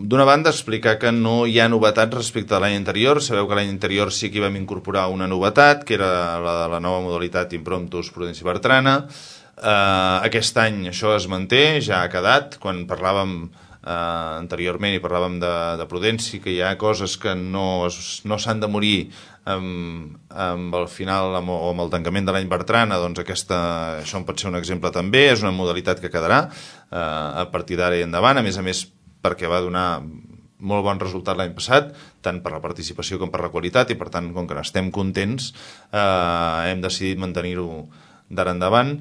D'una banda, explicar que no hi ha novetats respecte a l'any anterior. Sabeu que l'any anterior sí que hi vam incorporar una novetat, que era la de la nova modalitat Impromptus Prudència i Bertrana. Aquest any això es manté, ja ha quedat. Quan parlàvem anteriorment i parlàvem de prudència, que hi ha coses que no s'han de morir amb el final o amb el tancament de l'any Bertrana, doncs això en pot ser un exemple també. És una modalitat que quedarà a partir d'ara i endavant, a més perquè va donar molt bon resultat l'any passat, tant per la participació com per la qualitat, i per tant, com que n'estem contents, hem decidit mantenir-ho d'ara endavant.